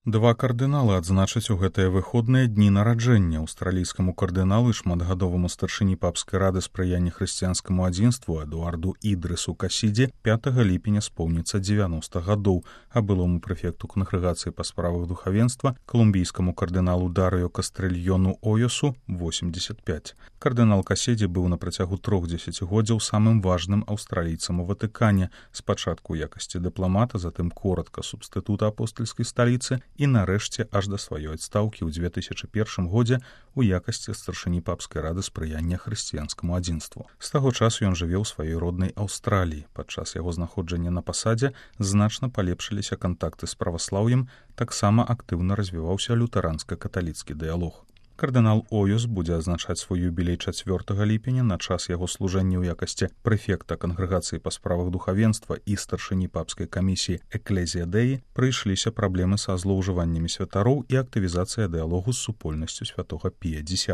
Два кардыналы адзначаць у гэтыя выходныя дні нараджэння. Аўстралійскаму кардыналу і шматгадоваму старшыні папскай рады спрыяння хрысціянскаму адзінству Эдуарду Ідрысу Касідзе 5 ліпеня споўніцца 90 гадоў, а былому прэфекту кангрэгацыі па справах духавенства колумбійскаму кардыналу Дарыё Кастрыльёну Ойосу 85. Кардынал Касідзе быў на працягу 3 дзесяцігоддзяў самым важным аўстралійцам у Ватыкане, спачатку ў якасці дыпламата, затым коратка субстытута апостальскай сталіцы і нарэшце аж да сваёй адстаўкі ў 2001 годзе у якасці старшыні папскай рады спрыяння хрысціянскаму адзінству. З таго часу ён жыве ў сваёй роднай Аўстраліі. Падчас яго знаходжання на пасадзе значна палепшыліся кантакты з праваслаўем, таксама актыўна развіваўся лютэранска-каталіцкі дыялог. Кардынал Ойос будзе адзначаць свой юбілей 4 ліпеня на час яго служэння ў якасці прэфекта кангрэгацыі па справах духавенства і старшыні папскай камісіі Экклезія Дэі прыйшліся праблемы са злоўжываннямі святароў і актывізацыя дыялогу з супольнасцю святога Пія X.